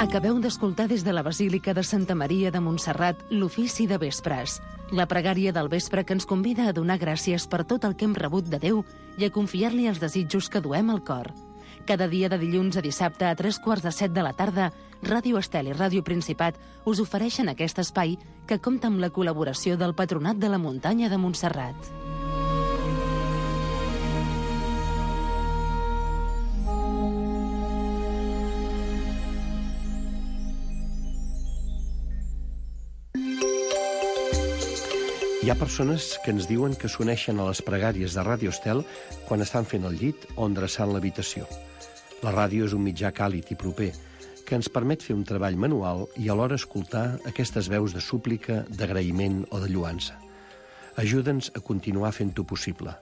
Acabeu d'escoltar des de la Basílica de Santa Maria de Montserrat l'ofici de vespres, la pregària del vespre que ens convida a donar gràcies per tot el que hem rebut de Déu i a confiar-li els desitjos que duem al cor. Cada dia de dilluns a dissabte a 3:45 de la tarda, Ràdio Estel i Ràdio Principat us ofereixen aquest espai que compta amb la col·laboració del Patronat de la Muntanya de Montserrat. Hi ha persones que ens diuen que s'uneixen a les pregàries de Ràdio Estel quan estan fent el llit o endreçant l'habitació. La ràdio és un mitjà càlid i proper que ens permet fer un treball manual i alhora escoltar aquestes veus de súplica, d'agraïment o de lluança. Ajuda'ns a continuar fent-ho possible.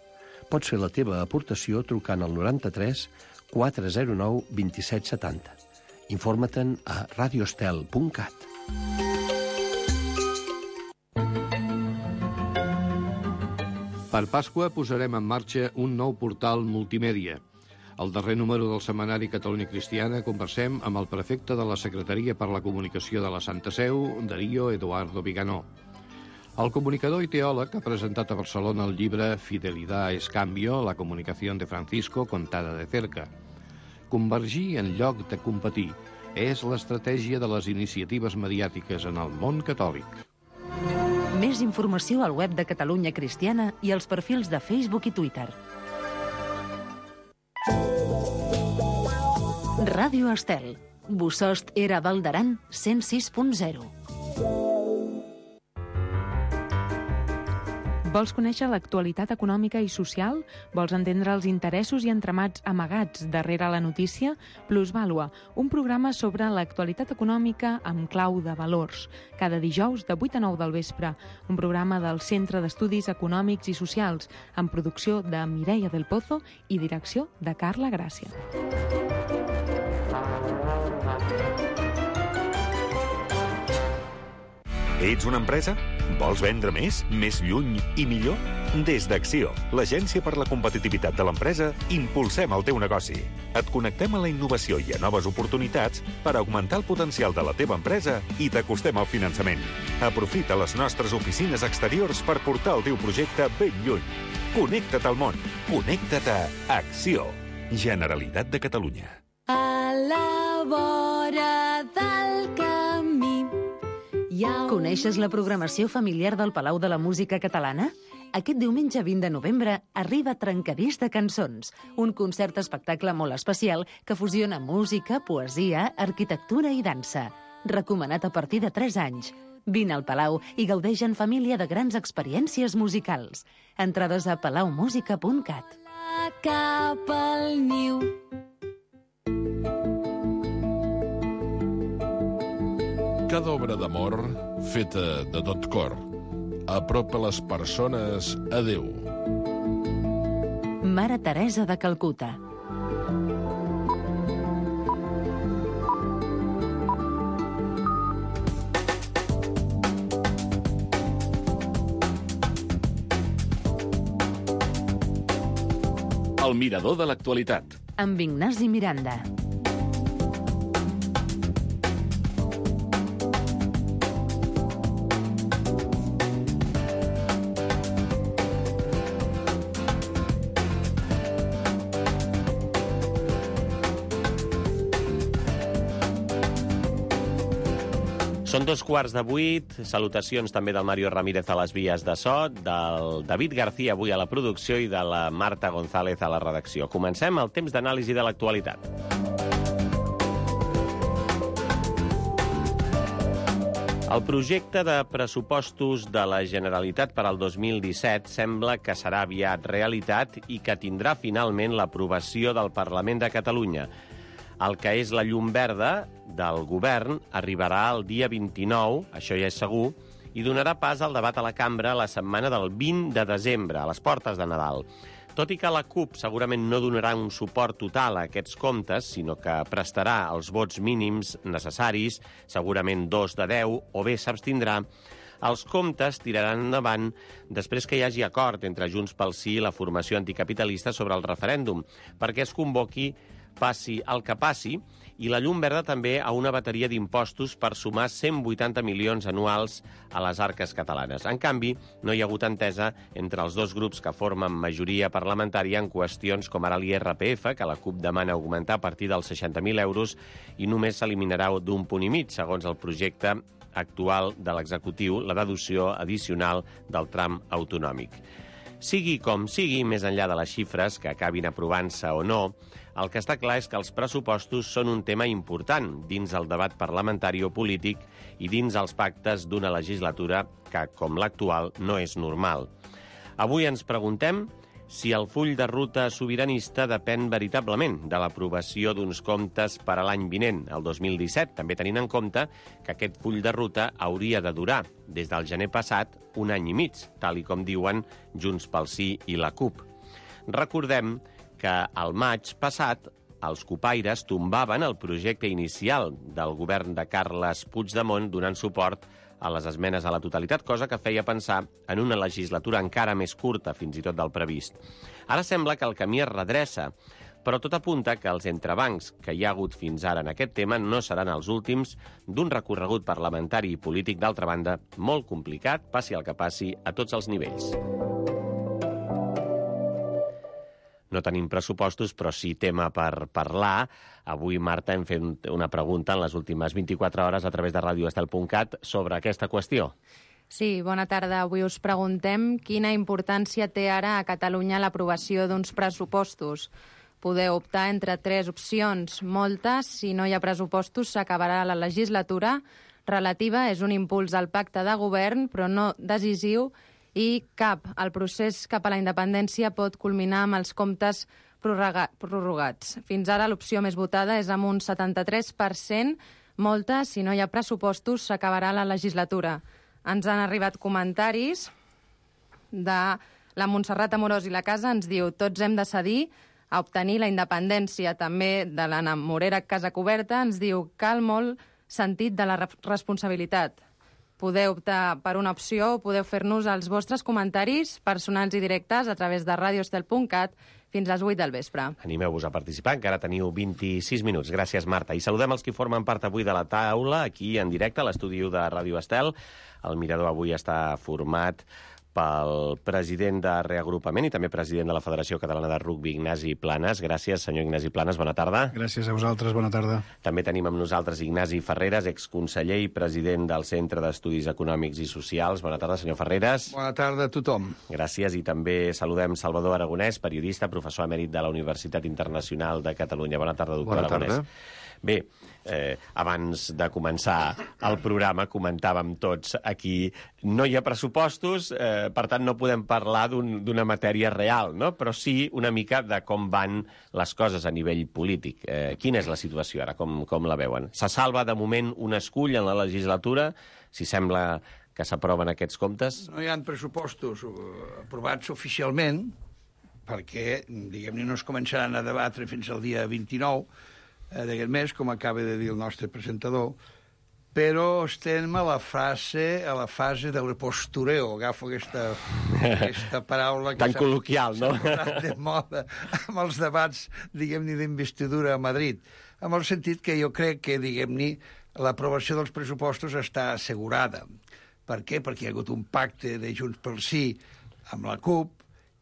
Pots fer la teva aportació trucant al 93 409 2770. Informa-te'n a radioestel.cat. Per Pasqua posarem en marxa un nou portal multimèdia. Al darrer número del setmanari Catalunya Cristiana conversem amb el prefecte de la Secretaria per la Comunicació de la Santa Seu, Darío Eduardo Viganó. El comunicador i teòleg ha presentat a Barcelona el llibre Fidelidad es cambio, la comunicación de Francisco contada de cerca. Convergir en lloc de competir és l'estratègia de les iniciatives mediàtiques en el món catòlic. Més informació al web de Catalunya Cristiana i als perfils de Facebook i Twitter. Ràdio Estel. Bosost era Val d'Aran 106.0. Vols conèixer l'actualitat econòmica i social? Vols entendre els interessos i entramats amagats darrere la notícia? Plusvàlua, un programa sobre l'actualitat econòmica amb clau de valors. Cada dijous de 8 a 9 del vespre. Un programa del Centre d'Estudis Econòmics i Socials, amb producció de Mireia del Pozo i direcció de Carla Gràcia. Ets una empresa? Vols vendre més, més lluny i millor? Des d'Acció, l'agència per la competitivitat de l'empresa, impulsem el teu negoci. Et connectem a la innovació i a noves oportunitats per augmentar el potencial de la teva empresa i t'acostem al finançament. Aprofita les nostres oficines exteriors per portar el teu projecte ben lluny. Connecta't al món. Connecta't a Acció. Generalitat de Catalunya. A la vora del camí. Coneixes la programació familiar del Palau de la Música Catalana? Aquest diumenge 20 de novembre arriba Trencadís de Cançons, un concert-espectacle molt especial que fusiona música, poesia, arquitectura i dansa. Recomanat a partir de 3 anys. Vine al Palau i gaudeix en família de grans experiències musicals. Entrades a palaumusica.cat. Cap al niu. Cada obra d'amor, feta de tot cor, apropa les persones a Déu. Mare Teresa de Calcuta. El mirador de l'actualitat. Amb Ignasi Miranda. Són 7:45, salutacions també del Mario Ramírez a les vies de so, del David García avui a la producció i de la Marta González a la redacció. Comencem el temps d'anàlisi de l'actualitat. El projecte de pressupostos de la Generalitat per al 2017 sembla que serà aviat realitat i que tindrà finalment l'aprovació del Parlament de Catalunya. El que és la llum verda del govern arribarà el dia 29, això ja és segur, i donarà pas al debat a la cambra la setmana del 20 de desembre, a les portes de Nadal. Tot i que la CUP segurament no donarà un suport total a aquests comptes, sinó que prestarà els vots mínims necessaris, segurament 2 de 10, o bé s'abstindrà, els comptes tiraran endavant després que hi hagi acord entre Junts pel Sí i la formació anticapitalista sobre el referèndum, perquè es convoqui passi el que passi, i la llum verda també a una bateria d'impostos per sumar 180 milions anuals a les arques catalanes. En canvi, no hi ha hagut entesa entre els dos grups que formen majoria parlamentària en qüestions com ara l'IRPF, que la CUP demana augmentar a partir dels 60.000 euros i només s'eliminarà d'un punt i mig, segons el projecte actual de l'executiu, la deducció addicional del tram autonòmic. Sigui com sigui, més enllà de les xifres que acabin aprovant-se o no, el que està clar és que els pressupostos són un tema important dins el debat parlamentari o polític i dins els pactes d'una legislatura que, com l'actual, no és normal. Avui ens preguntem si el full de ruta sobiranista depèn veritablement de l'aprovació d'uns comptes per a l'any vinent, el 2017, també tenint en compte que aquest full de ruta hauria de durar, des del gener passat, un any i mig, tal i com diuen Junts pel Sí i la CUP. Recordem que al maig passat els copaires tombaven el projecte inicial del govern de Carles Puigdemont donant suport a les esmenes a la totalitat, cosa que feia pensar en una legislatura encara més curta, fins i tot del previst. Ara sembla que el camí es redreça, però tot apunta que els entrebancs que hi ha hagut fins ara en aquest tema no seran els últims d'un recorregut parlamentari i polític, d'altra banda, molt complicat, passi el que passi, a tots els nivells. No tenim pressupostos, però sí tema per parlar. Avui, Marta, hem fet una pregunta en les últimes 24 hores a través de radioestel.cat sobre aquesta qüestió. Sí, bona tarda. Avui us preguntem quina importància té ara a Catalunya l'aprovació d'uns pressupostos. Podeu optar entre 3 opcions. Moltes, si no hi ha pressupostos, s'acabarà la legislatura. Relativa és un impuls al pacte de govern, però no decisiu, i el procés cap a la independència pot culminar amb els comptes prorrogats. Fins ara l'opció més votada és amb un 73%. Molta, si no hi ha pressupostos, s'acabarà la legislatura. Ens han arribat comentaris de la Montserrat Amorós i la Casa, ens diu: tots hem de cedir a obtenir la independència. També de l'Anna Morera Casa Coberta ens diu: cal molt sentit de la responsabilitat. Podeu optar per una opció o podeu fer-nos els vostres comentaris personals i directes a través de radioestel.cat fins a les 8 del vespre. Animeu-vos a participar, encara teniu 26 minuts. Gràcies, Marta. I saludem els que formen part avui de la taula, aquí en directe, a l'estudi de Ràdio Estel. El mirador avui està format pel president de Reagrupament i també president de la Federació Catalana de Rugbi, Ignasi Planes. Gràcies, senyor Ignasi Planes, bona tarda. Gràcies a vosaltres, bona tarda. També tenim amb nosaltres Ignasi Ferreres, exconseller i president del Centre d'Estudis Econòmics i Socials. Bona tarda, senyor Ferreres. Bona tarda a tothom. Gràcies, i també saludem Salvador Aragonès, periodista, professor emèrit de la Universitat Internacional de Catalunya. Bona tarda, doctor Aragonès. Bé, abans de començar el programa comentàvem tots aquí, no hi ha pressupostos, per tant no podem parlar d'una matèria real, no? Però sí una mica de com van les coses a nivell polític. Quina és la situació ara, com la veuen? Se salva de moment un escull en la legislatura, si sembla que s'aproven aquests comptes? No hi ha pressupostos aprovats oficialment, perquè, diguem-ne, no es començaran a debatre fins al dia 29 d'aquest mes, com acaba de dir el nostre presentador, però estem a la fase del postureo. Agafo aquesta paraula que tan col·loquial, no? S'ha posat de moda amb els debats, diguem-ne, d'investidura a Madrid, amb el sentit que jo crec que, diguem-ne, l'aprovació dels pressupostos està assegurada. Per què? Perquè hi ha hagut un pacte de Junts pel Sí amb la CUP,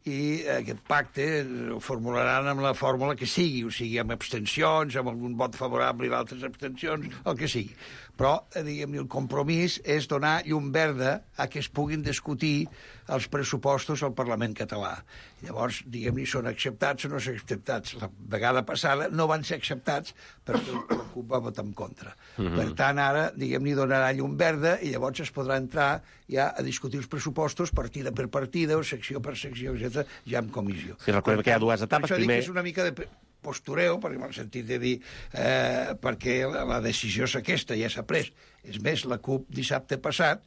i aquest pacte el formularan amb la fórmula que sigui, o sigui, amb abstencions, amb algun vot favorable i d'altres abstencions, el que sigui. Però, diguem-ne, el compromís és donar llum verda a que es puguin discutir els pressupostos al Parlament català. Llavors, diguem-ne, són acceptats o no són acceptats. La vegada passada no van ser acceptats perquè la CUP va votar en contra. Per tant, ara, diguem-ne, donarà llum verda i llavors es podrà entrar ja a discutir els pressupostos partida per partida o secció per secció, etc., ja en comissió. I recordem que hi ha dues etapes. Per això dic que és una mica de postureo, perquè m'ha sentit de dir, perquè la decisió és aquesta, ja s'ha pres. És més, la CUP dissabte passat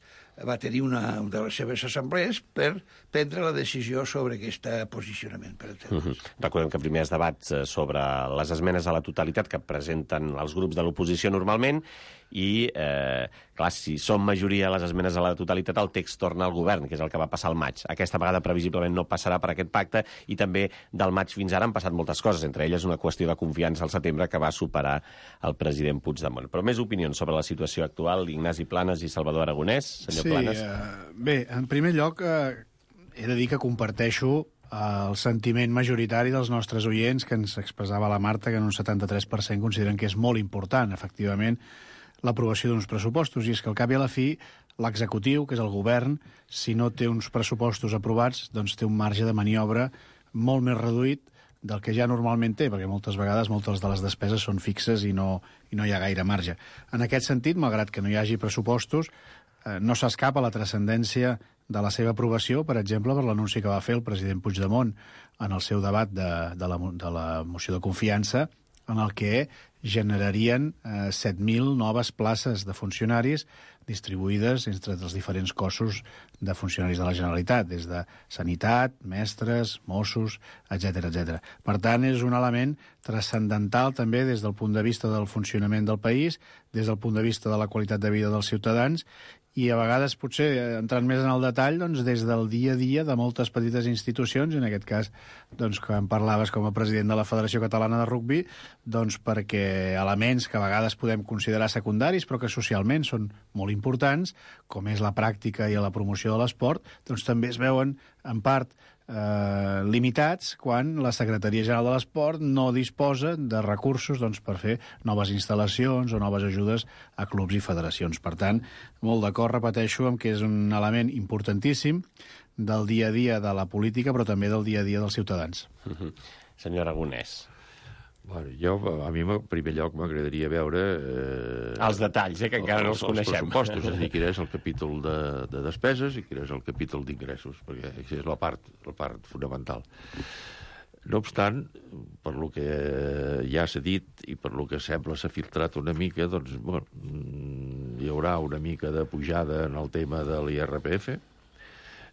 va tenir una de les seves assemblees per prendre la decisió sobre aquest posicionament, per exemple. Recordem que primer es debats sobre les esmenes a la totalitat que presenten els grups de l'oposició normalment i, clar, si són majoria les esmenes a la totalitat, el text torna al govern, que és el que va passar al maig. Aquesta vegada, previsiblement, no passarà per aquest pacte i també del maig fins ara han passat moltes coses, entre elles una qüestió de confiança al setembre que va superar el president Puigdemont. Però més opinions sobre la situació actual, Ignasi Planes i Salvador Aragonès. Senyor Planes. Bé, en primer lloc, he de dir que comparteixo el sentiment majoritari dels nostres oients que ens expressava la Marta, que en un 73% consideren que és molt important, efectivament, l'aprovació d'uns pressupostos, i és que al cap i a la fi l'executiu, que és el govern, si no té uns pressupostos aprovats, doncs té un marge de maniobra molt més reduït del que ja normalment té, perquè moltes vegades moltes de les despeses són fixes i no hi ha gaire marge. En aquest sentit, malgrat que no hi hagi pressupostos, no s'escapa la transcendència de la seva aprovació, per exemple, per l'anunci que va fer el president Puigdemont en el seu debat de la moció de confiança, en el que generarien 7.000 noves places de funcionaris distribuïdes entre els diferents cossos de funcionaris de la Generalitat, des de sanitat, mestres, Mossos, etc. Per tant, és un element transcendental també des del punt de vista del funcionament del país, des del punt de vista de la qualitat de vida dels ciutadans i a vegades, potser, entrant més en el detall, doncs, des del dia a dia de moltes petites institucions, en aquest cas, doncs, que en parlaves com a president de la Federació Catalana de Rugbi, doncs, perquè elements que a vegades podem considerar secundaris, però que socialment són molt importants, com és la pràctica i la promoció de l'esport, doncs també es veuen, en part, limitats quan la Secretaria General de l'Esport no disposa de recursos doncs, per fer noves instal·lacions o noves ajudes a clubs i federacions. Per tant, molt d'acord, repeteixo, amb que és un element importantíssim del dia a dia de la política, però també del dia a dia dels ciutadans. Senyor Aragonès. Bueno, a mi, en primer lloc, m'agradaria veure... Els detalls, que encara no els coneixem. Els pressupostos, és a dir, quin és el capítol de despeses i quin és el capítol d'ingressos, perquè això és la part fonamental. No obstant, per lo que ja s'ha dit i per lo que sembla s'ha filtrat una mica, doncs, bueno, hi haurà una mica de pujada en el tema de l'IRPF,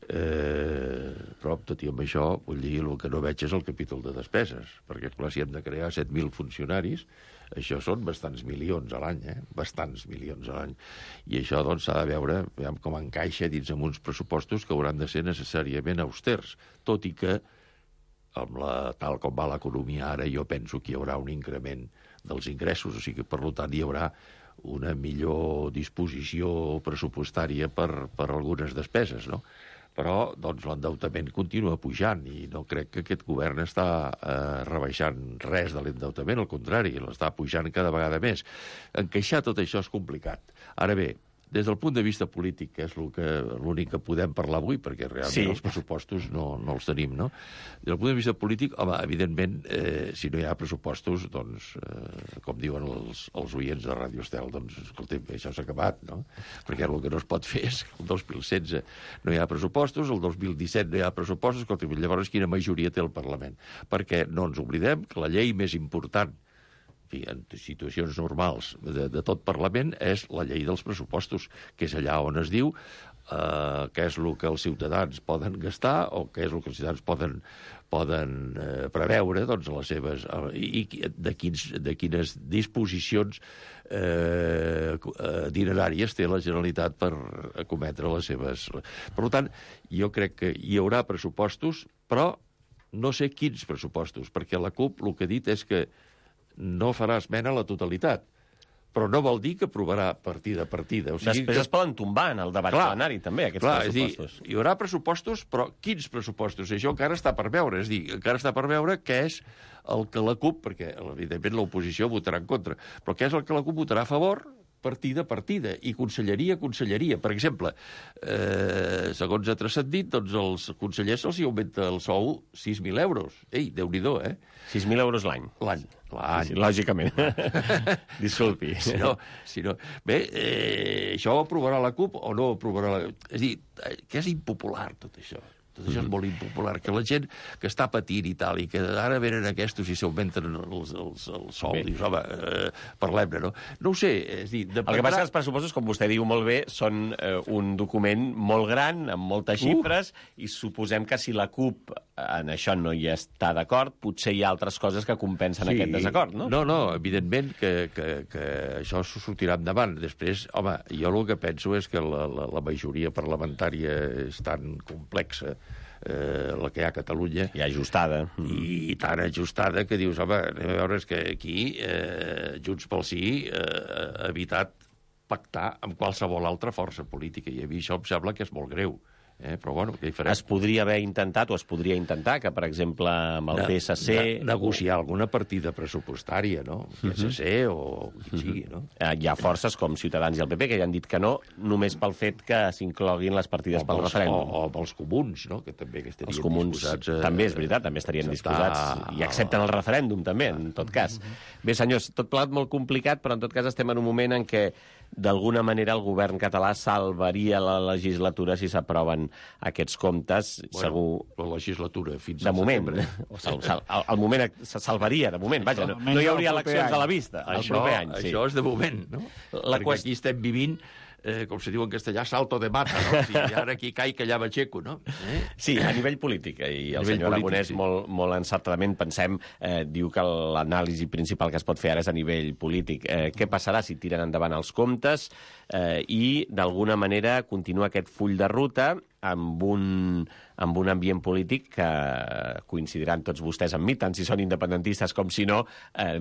però tot i amb això vull dir, el que no veig és el capítol de despeses, perquè clar, si hem de crear 7.000 funcionaris, això són bastants milions a l'any, bastants milions a l'any, i això doncs s'ha de veure com encaixa dins amb uns pressupostos que hauran de ser necessàriament austers, tot i que tal com va l'economia ara, jo penso que hi haurà un increment dels ingressos, o sigui que per tant hi haurà una millor disposició pressupostària per algunes despeses, no? Però doncs, l'endeutament continua pujant i no crec que aquest govern està rebaixant res de l'endeutament, al contrari, l'està pujant cada vegada més. Encaixar tot això és complicat. Ara bé, des del punt de vista polític, que és l'únic que podem parlar avui, perquè realment els pressupostos no els tenim, no? Des del punt de vista polític, home, evidentment, si no hi ha pressupostos, doncs, com diuen els oients de Ràdio Estel, doncs, escolta'm, això s'ha acabat, no? Perquè el que no es pot fer és que el 2016 no hi ha pressupostos, el 2017 no hi ha pressupostos, escolta'm, llavors quina majoria té el Parlament? Perquè no ens oblidem que la llei més important en situacions normals de tot Parlament és la llei dels pressupostos, que és allà on es diu què és el que els ciutadans poden gastar o què és el que els ciutadans poden preveure doncs, les seves, i de quines disposicions dineràries té la Generalitat per acometre les seves... Per tant, jo crec que hi haurà pressupostos, però no sé quins pressupostos, perquè la CUP el que ha dit és que no farà esmena a la totalitat, però no vol dir que aprovarà partida a partida. O sigui després es poden tombar en el debat plenari, també, aquests pressupostos. És dir, hi haurà pressupostos, però quins pressupostos? Això encara està per veure. És dir, encara està per veure què és el que la CUP, perquè evidentment l'oposició votarà en contra, però què és el que la CUP votarà a favor, partida a partida, i conselleria a conselleria. Per exemple, segons ha transcendit, doncs els consellers se'ls augmenta el sou 6.000 euros. Ei, Déu-n'hi-do, 6.000 euros l'any. L'any. Sí, lògicament. Disculpi. Si no. Bé, això ho aprovarà la CUP o no ho aprovarà la... És a dir, que és impopular tot això. Tot això és molt impopular. Que la gent que està patint i tal, i que ara venen aquests i s'augmenten el sou, dius, home, parlem-ne, no? No ho sé, és dir... El que passa que els pressupostos, com vostè diu molt bé, són un document molt gran, amb moltes xifres, i suposem que si la CUP en això no hi està d'acord, potser hi ha altres coses que compensen aquest desacord, no? No, evidentment que això s'ho sortirà endavant. Després, home, jo el que penso és que la majoria parlamentària és tan complexa, la que hi ha a Catalunya... I ajustada. I tan ajustada que dius, home, anem a veure, és que aquí Junts pel Sí ha evitat pactar amb qualsevol altra força política, i a mi això em sembla que és molt greu. Però bueno, què hi farem? Es podria haver intentat, o es podria intentar, que, per exemple, amb el PSC... Negociar alguna partida pressupostària, no? PSC o qui sigui, no? Hi ha forces com Ciutadans i el PP que ja han dit que no, només pel fet que s'incloguin les partides pel referèndum. O els comuns, no? Que també estarien els comuns disposats... També és veritat, també estarien disposats. I accepten el referèndum, també, en tot cas. Bé, senyors, tot plegat molt complicat, però en tot cas estem en un moment en què d'alguna manera el govern català salvaria la legislatura si s'aproven aquests comptes. Segur... La legislatura fins al setembre. Al moment se salvaria, de moment. Vaja, no hi hauria eleccions a la vista el proper any. Això és de moment, no? Perquè aquí estem vivint, com se diu en castellà, salto de mata, no? Si ara aquí caic, allà m'aixeco, no? Sí, a nivell polític. I el senyor Aragonès, molt encertadament, pensem, diu que l'anàlisi principal que es pot fer ara és a nivell polític. Què passarà si tiren endavant els comptes i, d'alguna manera, continua aquest full de ruta amb un ambient polític que coincidiran tots vostès amb mi, tant si són independentistes com si no,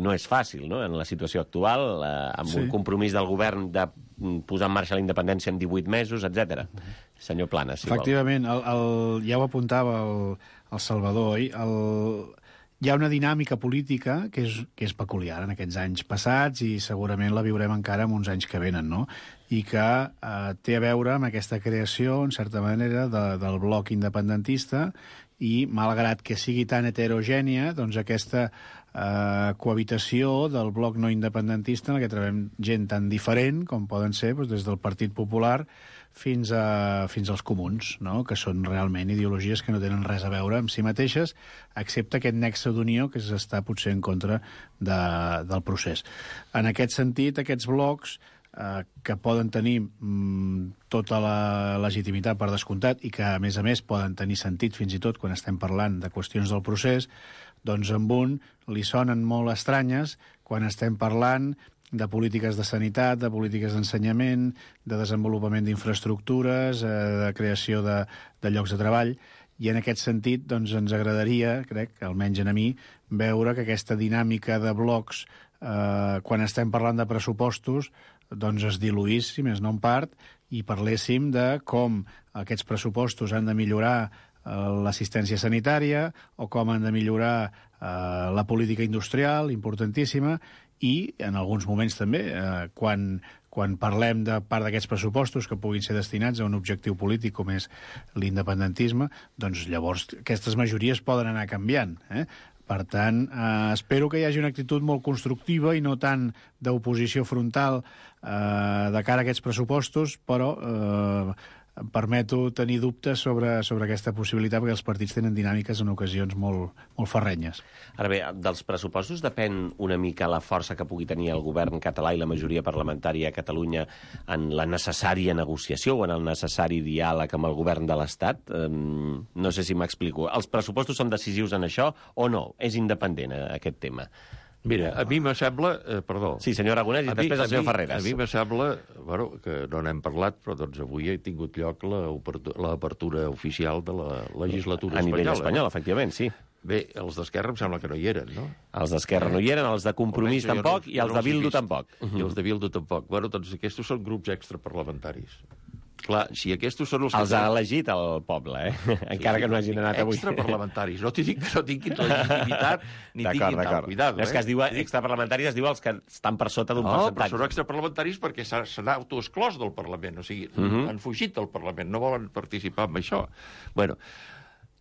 no és fàcil, no?, en la situació actual, amb un compromís del govern de posar en marxa la independència en 18 mesos, etc. Senyor Planas, si vol. Efectivament, ja ho apuntava el Salvador, oi? Hi ha una dinàmica política que és peculiar en aquests anys passats i segurament la viurem encara en uns anys que venen, no? I que té a veure amb aquesta creació, en certa manera, del bloc independentista i, malgrat que sigui tan heterogènia, doncs aquesta cohabitació del bloc no independentista en què trobem gent tan diferent com poden ser des del Partit Popular fins als comuns, no?, que són realment ideologies que no tenen res a veure amb si mateixes, excepte aquest nexe d'unió que s'està potser en contra del procés. En aquest sentit, aquests blocs que poden tenir tota la legitimitat per descomptat i que, a més, poden tenir sentit fins i tot quan estem parlant de qüestions del procés, doncs amb un li sonen molt estranyes quan estem parlant de polítiques de sanitat, de polítiques d'ensenyament, de desenvolupament d'infraestructures, de creació de llocs de treball, i en aquest sentit doncs, ens agradaria, crec, almenys a mi, veure que aquesta dinàmica de blocs, quan estem parlant de pressupostos, doncs es diluís, si més no en part, i parléssim de com aquests pressupostos han de millorar l'assistència sanitària o com han de millorar la política industrial, importantíssima, i en alguns moments també, quan parlem de part d'aquests pressupostos que puguin ser destinats a un objectiu polític com és l'independentisme, doncs llavors aquestes majories poden anar canviant, Per tant, espero que hi hagi una actitud molt constructiva i no tant d'oposició frontal de cara a aquests pressupostos, però em permeto tenir dubtes sobre aquesta possibilitat perquè els partits tenen dinàmiques en ocasions molt ferrenyes. Ara bé, dels pressupostos depèn una mica la força que pugui tenir el govern català i la majoria parlamentària a Catalunya en la necessària negociació o en el necessari diàleg amb el govern de l'Estat. No sé si m'explico. Els pressupostos són decisius en això o no? És independent aquest tema? Mira, a mi me sembla... Perdó. Sí, senyor Aragonès, i després el senyor Ferreras. A mi me sembla, bueno, que no n'hem parlat, però doncs avui ha tingut lloc l'apertura oficial de la legislatura espanyola. A nivell espanyol, efectivament, sí. Bé, els d'Esquerra em sembla que no hi eren, no? Els d'Esquerra no hi eren, els de Compromís tampoc, i els de Bildu tampoc. I els de Bildu tampoc. Bueno, doncs aquests són grups extraparlamentaris. Clar, si aquests són els ha elegit el poble, encara que no hagin anat avui. Extraparlamentaris. No t'hi dic que no tinguin legitimitat ni tinguin tal. Cuidado, és que es diu extraparlamentaris, es diu els que estan per sota d'un percentatge. No, però són extraparlamentaris perquè s'han autoexclòs del Parlament, o sigui, han fugit del Parlament, no volen participar en això. Bueno,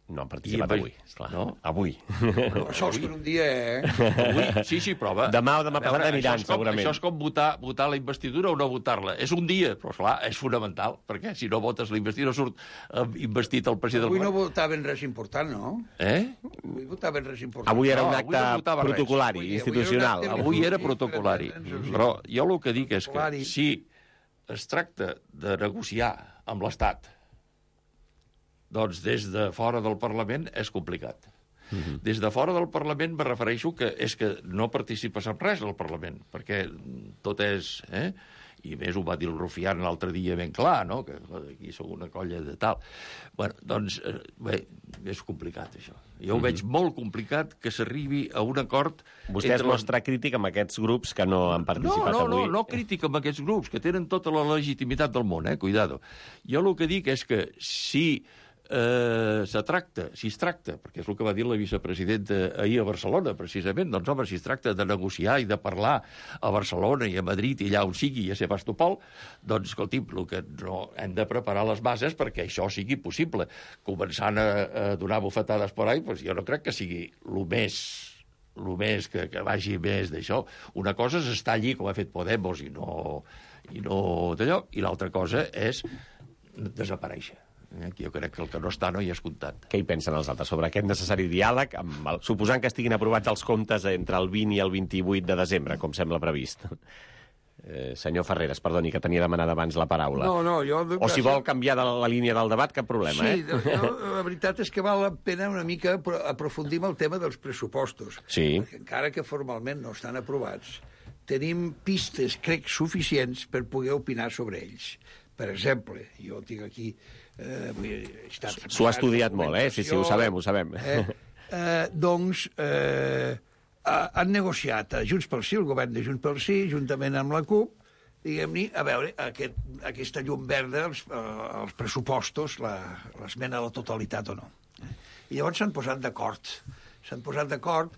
No han participat avui, esclar. No? Avui. No, sols per un dia, Avui, sí, prova. Demà o demà passat aniran, segurament. Això és com votar la investidura o no votar-la. És un dia, però, esclar, és fonamental, perquè si no votes la investidura surt investit el president. Avui no votaven res important, no? Avui votaven res important. Avui era un acte protocolari, institucional. Avui era protocolari. Però jo el que dic és que si es tracta de negociar amb l'Estat, doncs des de fora del Parlament és complicat. Des de fora del Parlament me refereixo que és que no participes en res al Parlament, perquè tot és... I més ho va dir el Rufián l'altre dia ben clar, no? Que aquí sou una colla de tal. Bueno, doncs, bé, és complicat, això. Jo ho veig molt complicat que s'arribi a un acord... Vostè es mostra crític amb aquests grups que no han participat avui. No crític amb aquests grups, que tenen tota la legitimitat del món, cuidado. Jo el que dic és que si es tracta, perquè és el que va dir la vicepresidenta ahir a Barcelona, precisament, doncs, home, si es tracta de negociar i de parlar a Barcelona i a Madrid i allà on sigui, i a Sebastopol, doncs, escolti'm, el que no, hem de preparar les bases perquè això sigui possible. Començant a donar bufetades per ahí, doncs jo no crec que sigui el més que vagi més d'això. Una cosa és estar allí, com ha fet Podemos, i no d'allò, i l'altra cosa és desaparèixer. Jo crec que el que no està no hi és comptat. Què hi pensen els altres sobre aquest necessari diàleg, suposant que estiguin aprovats els comptes entre el 20 i el 28 de desembre, com sembla previst? Senyor Ferreres, perdoni, que tenia demanada abans la paraula. O si vol canviar de la línia del debat, cap problema, la veritat és que val la pena una mica aprofundir en el tema dels pressupostos. Sí. Perquè encara que formalment no estan aprovats, tenim pistes, crec, suficients per poder opinar sobre ells. Per exemple, jo tinc aquí... S'ho ha estudiat molt, sí, ho sabem. Doncs han negociat a Junts pel Sí, el govern de Junts pel Sí, juntament amb la CUP, diguem-ne, a veure aquesta llum verda, els pressupostos, l'esmena a la totalitat o no. I llavors s'han posat d'acord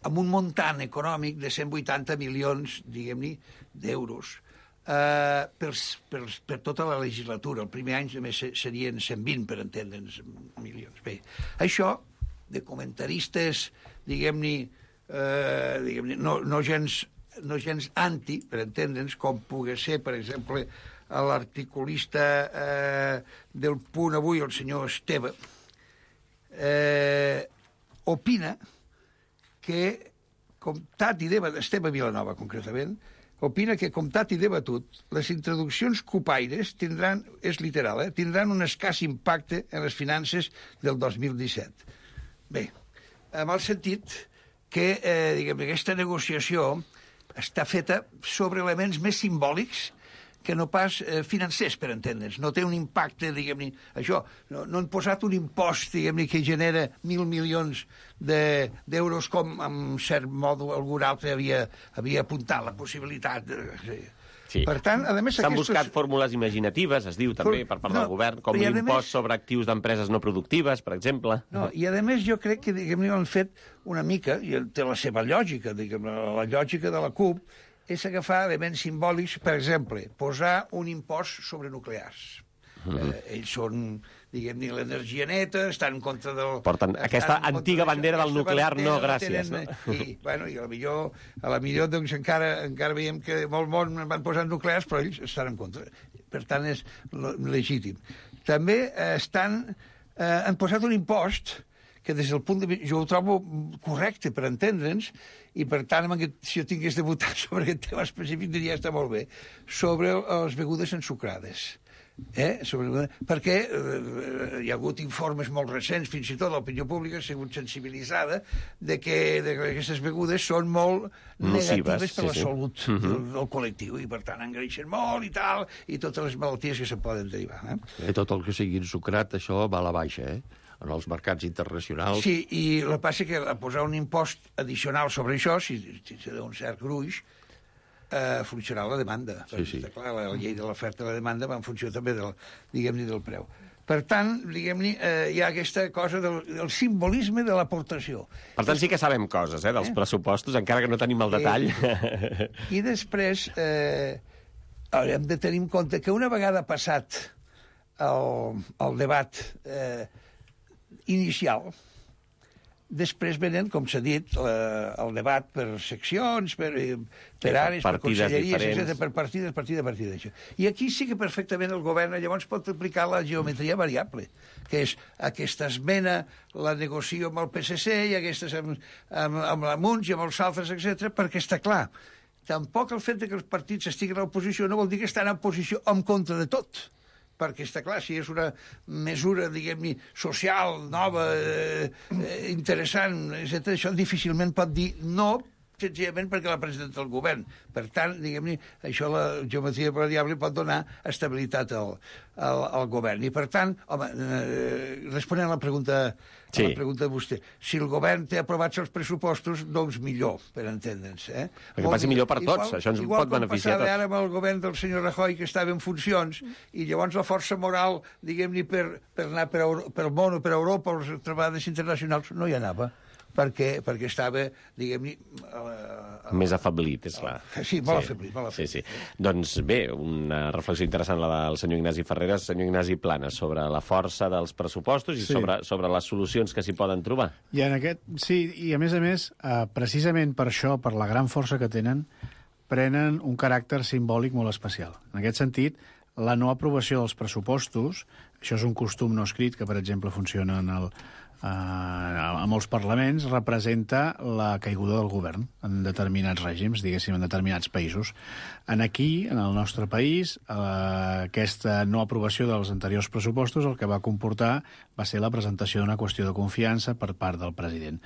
amb un muntant econòmic de 180 milions, diguem-ne, d'euros, per tota la legislatura. El primer any només serien 120, per entendre'ns, milions. Bé, això, de comentaristes, diguem-ne, no gens anti, per entendre'ns, com pugui ser, per exemple, l'articulista del Punt avui, el senyor Esteve, opina que Esteve Vilanova, concretament, opina que, comptat i debatut, les introduccions cupaires tindran, és literal, tindran un escàs impacte en les finances del 2017. Bé, amb el sentit que aquesta negociació està feta sobre elements més simbòlics que no pas financers, per entendre'ns. No té un impacte, diguem-ne, això. No han posat un impost, diguem-ne, que genera 1.000 milions d'euros, com, en cert modo, algun altre havia apuntat la possibilitat. Sí. Per tant, a més... S'han buscat fórmules imaginatives, es diu també, per part del govern, com l'impost sobre actius d'empreses no productives, per exemple. No, i a més jo crec que, diguem-ne, han fet una mica, i té la seva lògica, diguem-ne, la lògica de la CUP, és agafar elements simbòlics, per exemple, posar un impost sobre nuclears. Ells són, diguem-ne, l'energia neta, estan en contra del... Porten aquesta antiga bandera del nuclear, no, gràcies. I a la millor doncs, encara veiem que molt món van posar nuclears, però ells estan en contra. Per tant, és legítim. També han posat un impost que des del punt de vista... Jo ho trobo correcte, per entendre'ns, i per tant, si jo tingués de votar sobre aquest tema específic, diria que està molt bé, sobre les begudes ensucrades. Perquè hi ha hagut informes molt recents, fins i tot l'opinió pública ha sigut sensibilitzada de que aquestes begudes són molt negatives per la salut del col·lectiu, i per tant engreixen molt i tal, i totes les malalties que se poden derivar. Tot el que sigui ensucrat, això va a la baixa, en els mercats internacionals. Sí, i el que passa que posar un impost addicional sobre això, si té un cert gruix, funcionarà la demanda. Sí. Clar, la llei de l'oferta i la demanda va en funció també diguem-ne, del preu. Per tant, diguem-ne, hi ha aquesta cosa del simbolisme de l'aportació. Per tant, sí que sabem coses, dels pressupostos, encara que no tenim el detall. I després haurem de tenir en compte que una vegada passat el debat inicial. Després venen, com s'ha dit, el debat per seccions, per àrees, per conselleries, etc., per partida. I aquí sí que perfectament el govern llavors pot aplicar la geometria variable, que és aquesta esmena la negocio amb el PSC i aquestes amb la Munts i amb els altres, etc., perquè està clar. Tampoc el fet que els partits estiguin a l'oposició no vol dir que estan en posició en contra de tot, perquè està clar, si és una mesura, diguem-ne, social, nova, interessant, etc., això difícilment pot dir no, senzillament perquè la presenta el govern. Per tant, diguem-ne, això la geometria variable pot donar estabilitat al govern. I per tant, home, responent a la pregunta de vostè, si el govern té aprovats els pressupostos, doncs millor, per entendre'ns. Perquè passi millor per tots, això ens pot beneficiar a tots. Igual com passava ara amb el govern del senyor Rajoy, que estava en funcions, i llavors la força moral, diguem-ne, per anar pel món o per Europa, o les trobades internacionals, no hi anava. Perquè estava, diguem-ne... Més afeblit, és clar. Sí, molt afeblit. Sí. Doncs bé, una reflexió interessant la del senyor Ignasi Ferreras, senyor Ignasi Planas, sobre la força dels pressupostos i sobre les solucions que s'hi poden trobar. I i a més, precisament per això, per la gran força que tenen, prenen un caràcter simbòlic molt especial. En aquest sentit, la no aprovació dels pressupostos, això és un costum no escrit que, per exemple, funciona a molts parlaments, representa la caiguda del govern en determinats règims, diguéssim, en determinats països. Aquí, en el nostre país, aquesta no aprovació dels anteriors pressupostos el que va comportar va ser la presentació d'una qüestió de confiança per part del president.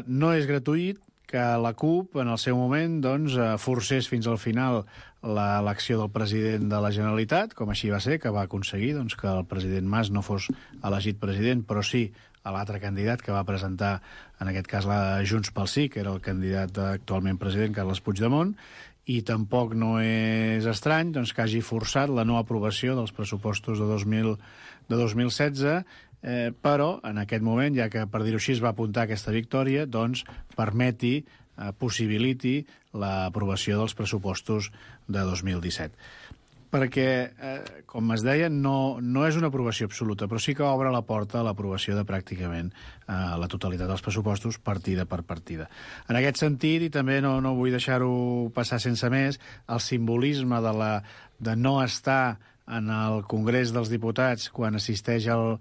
No és gratuït que la CUP, en el seu moment, doncs, forcés fins al final l'elecció del president de la Generalitat, com així va ser, que va aconseguir doncs, que el president Mas no fos elegit president, però sí a l'altre candidat que va presentar, en aquest cas, la Junts pel Sí, que era el candidat actualment president, Carles Puigdemont, i tampoc no és estrany doncs, que hagi forçat la no aprovació dels pressupostos de 2016, però en aquest moment, ja que per dir-ho així es va apuntar aquesta victòria, doncs possibiliti l'aprovació dels pressupostos de 2017. Perquè, com es deia, no és una aprovació absoluta, però sí que obre la porta a l'aprovació de pràcticament la totalitat dels pressupostos, partida per partida. En aquest sentit, i també no vull deixar-ho passar sense més, el simbolisme de no estar en el Congrés dels Diputats quan assisteix el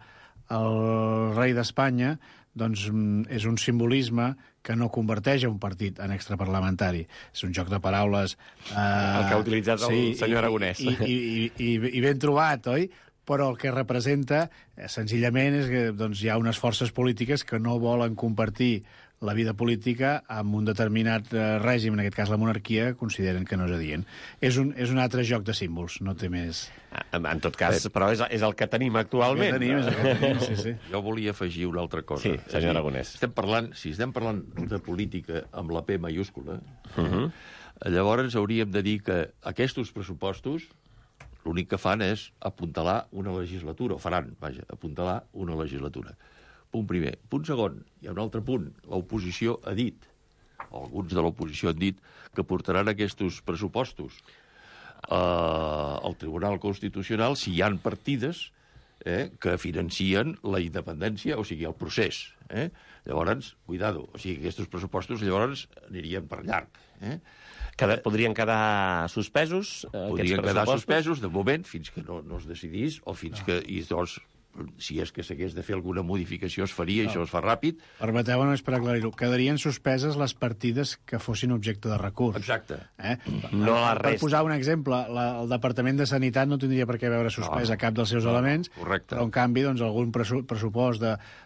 rei d'Espanya, doncs és un simbolisme que no converteix un partit en extraparlamentari. És un joc de paraules... el que ha utilitzat el senyor Aragonès. I ben trobat, oi? Però el que representa, senzillament, és que doncs, hi ha unes forces polítiques que no volen compartir la vida política amb un determinat règim, en aquest cas la monarquia, consideren que no és adient. És un altre joc de símbols, no té més... En tot cas, però és el que tenim actualment. És el que tenim, sí. Jo volia afegir una altra cosa. Sí, senyor Aragonès. Si estem parlant de política amb la P mayúscula, llavors hauríem de dir que aquests pressupostos l'únic que fan és apuntalar una legislatura, o faran, vaja, apuntalar una legislatura. Punt primer. Punt segon, hi ha un altre punt. L'oposició ha dit, o alguns de l'oposició han dit, que portaran aquests pressupostos al Tribunal Constitucional si hi ha partides que financien la independència, o sigui, el procés. Llavors, cuidado, o sigui, aquests pressupostos llavors anirien per llarg. Podrien quedar suspesos, podrien quedar suspesos, de moment, fins que no es decidís, o fins que... si és que s'hagués de fer alguna modificació es faria, això es fa ràpid. Permeteu només per aclarir-ho, quedarien suspeses les partides que fossin objecte de recurs. Exacte. No la resta. Per posar un exemple, el Departament de Sanitat no tindria per què veure suspès a cap dels seus elements, correcte. Però en canvi doncs, algun pressupost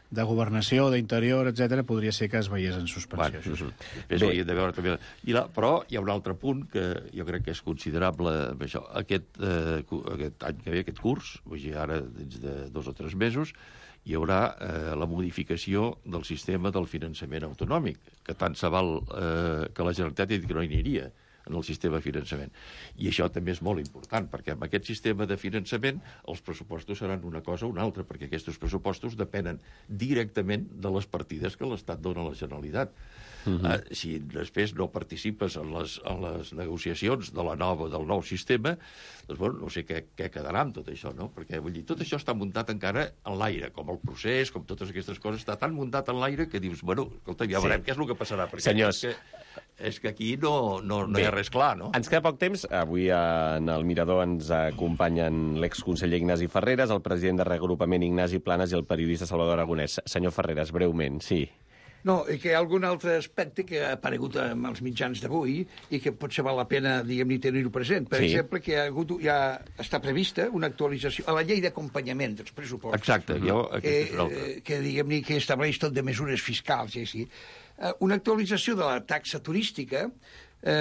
de governació, d'interior, etc podria ser que es veiés en suspensió. De veure també. Però hi ha un altre punt que jo crec que és considerable. Això. Aquest any que ve, aquest curs, ara dins de 2 o 3 mesos, hi haurà la modificació del sistema del finançament autonòmic, que tant se val que la Generalitat ha dit que no hi aniria. en el sistema de finançament. I això també és molt important, perquè amb aquest sistema de finançament els pressupostos seran una cosa o una altra, perquè aquests pressupostos depenen directament de les partides que l'Estat dona a la Generalitat. Si després no participes en les negociacions del nou sistema, doncs, bueno, no sé què quedarà amb tot això, no? Perquè, vull dir, tot això està muntat encara en l'aire, com el procés, com totes aquestes coses, està tan muntat en l'aire que dius, bueno, escolta, ja veurem què és el que passarà. Perquè senyors, és que aquí no hi ha res clar, no? Ens queda poc temps. Avui en el Mirador ens acompanyen l'exconseller Ignasi Ferreres, el president de Reagrupament Ignasi Planes i el periodista Salvador Aragonès. Senyor Ferreres, breument, sí. No, i que hi ha algun altre aspecte que ha aparegut amb els mitjans d'avui i que potser val la pena, diguem-ne, tenir-ho present. Per exemple, que ja està prevista una actualització a la llei d'acompanyament dels pressupostos. Exacte, que diguem-ne, que estableix tot de mesures fiscals i així. Una actualització de la taxa turística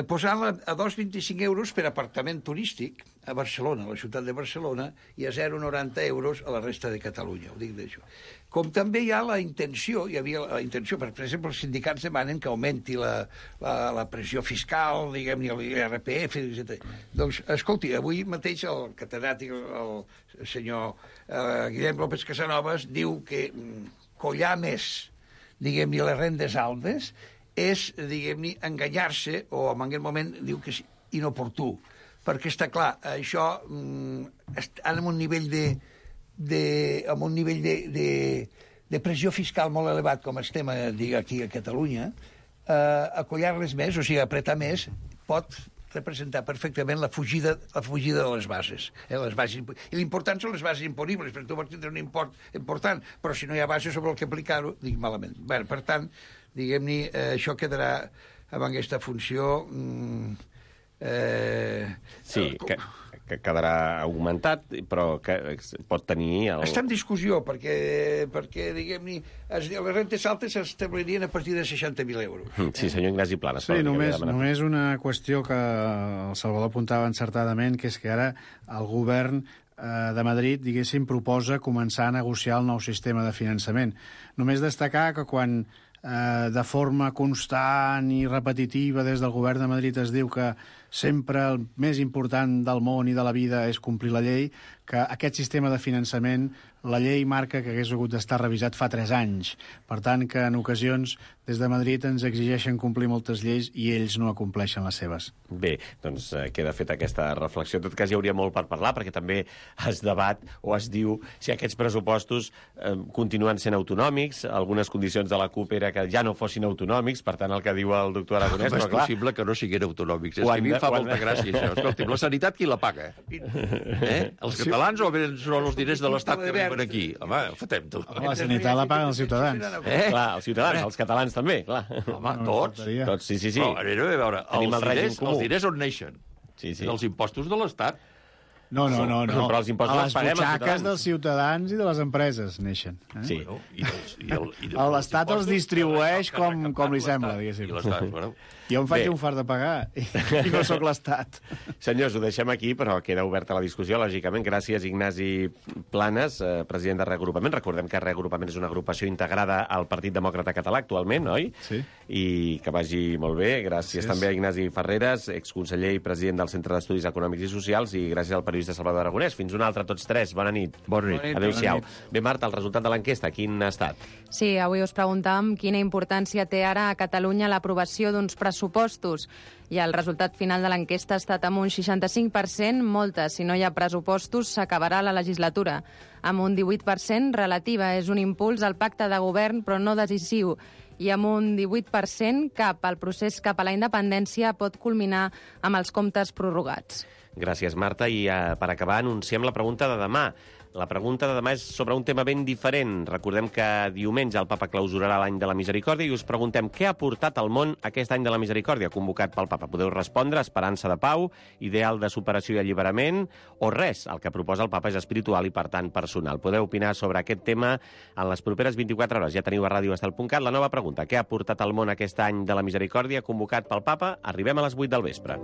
posant-la a 2,25 euros per apartament turístic a Barcelona, a la ciutat de Barcelona, i a 0,90 euros a la resta de Catalunya, ho dic d'això. Com també hi ha la intenció, hi havia la intenció, per exemple, els sindicats demanen que augmenti la pressió fiscal, diguem-ne, l'IRPF, etc. Doncs, escolti, avui mateix el catedràtic, el senyor Guillem López Casanovas, diu que collar més, diguem-ne, les rendes altes és, diguem-ne, enganyar-se, o en aquest moment diu que és inoportú. Perquè està clar, això, amb un nivell de pressió fiscal molt elevat, com estem aquí a Catalunya, acollar-les més, o sigui, apretar més, pot representar perfectament la fugida de les bases. I l'important són les bases imponibles, perquè tu vols tindre un import important, però si no hi ha base sobre el que aplicar-ho, dic malament. Bé, per tant, diguem-ne, això quedarà amb aquesta funció... Sí, que quedarà augmentat, però que pot tenir... Està en discussió, perquè diguem-ne, les rentes altes s'establirien a partir de 60.000 euros. Sí, senyor Ignasi Planes. Sí, només una qüestió que el Salvador apuntava encertadament, que és que ara el govern de Madrid, diguéssim, proposa començar a negociar el nou sistema de finançament. Només destacar que quan de forma constant i repetitiva des del govern de Madrid es diu que sempre el més important del món i de la vida és complir la llei, que aquest sistema de finançament, la llei marca que hagués hagut d'estar revisat fa 3 anys. Per tant, que en ocasions des de Madrid ens exigeixen complir moltes lleis i ells no acompleixen les seves. Bé, doncs queda feta aquesta reflexió. En tot cas, hi hauria molt per parlar, perquè també es debat o es diu si aquests pressupostos continuen sent autonòmics. Algunes condicions de la CUP era que ja no fossin autonòmics, per tant, el que diu el doctor Aragonès... Com és possible que no siguin autonòmics? És que a mi em fa molta gràcia, això. Escolta, la sanitat qui la paga? Els catalans o bé són els diners de l'Estat que arriben aquí? Home, fotem-ho. La sanitat la paguen els ciutadans. Clar, els ciutadans, els catalans també, clar. Home, tots. Tots, sí. Però, a veure, els diners on neixen? Els impostos de l'Estat. No. Però els impostos a els les paguem butxaques dels ciutadans i de les empreses neixen. Sí. L'Estat els distribueix com li sembla, diguéssim. Jo em faig un fart de pagar i no sóc l'Estat. Senyors, ho deixem aquí, però queda oberta la discussió, lògicament. Gràcies, Ignasi Planes, president de Reagrupament. Recordem que Reagrupament és una agrupació integrada al Partit Demòcrata Català actualment, oi? Sí. I que vagi molt bé. Gràcies també a Ignasi Ferreres, exconseller i president del Centre d'Estudis Econòmics i Socials, i gràcies al periodista Salvador Aragonès. Fins una altra, tots tres. Bona nit. Bona nit. Adéu-siau. Bé, Marta, el resultat de l'enquesta, quin ha estat? Sí, avui us preguntàvem quina importància té ara a Catalunya l'aprovació d'uns pressupostos. I el resultat final de l'enquesta ha estat amb un 65%, moltes. Si no hi ha pressupostos, s'acabarà la legislatura. Amb un 18%, relativa. És un impuls al pacte de govern, però no decisiu. I amb un 18%, el procés cap a la independència pot culminar amb els comptes prorrogats. Gràcies, Marta. I per acabar, anunciem la pregunta de demà. La pregunta de demà és sobre un tema ben diferent. Recordem que diumenge el papa clausurarà l'any de la misericòrdia i us preguntem què ha portat al món aquest any de la misericòrdia convocat pel papa. Podeu respondre esperança de pau, ideal de superació i alliberament o res. El que proposa el papa és espiritual i, per tant, personal. Podeu opinar sobre aquest tema en les properes 24 hores. Ja teniu a radioestel.cat la nova pregunta. Què ha portat al món aquest any de la misericòrdia convocat pel papa? Arribem a les 8 del vespre.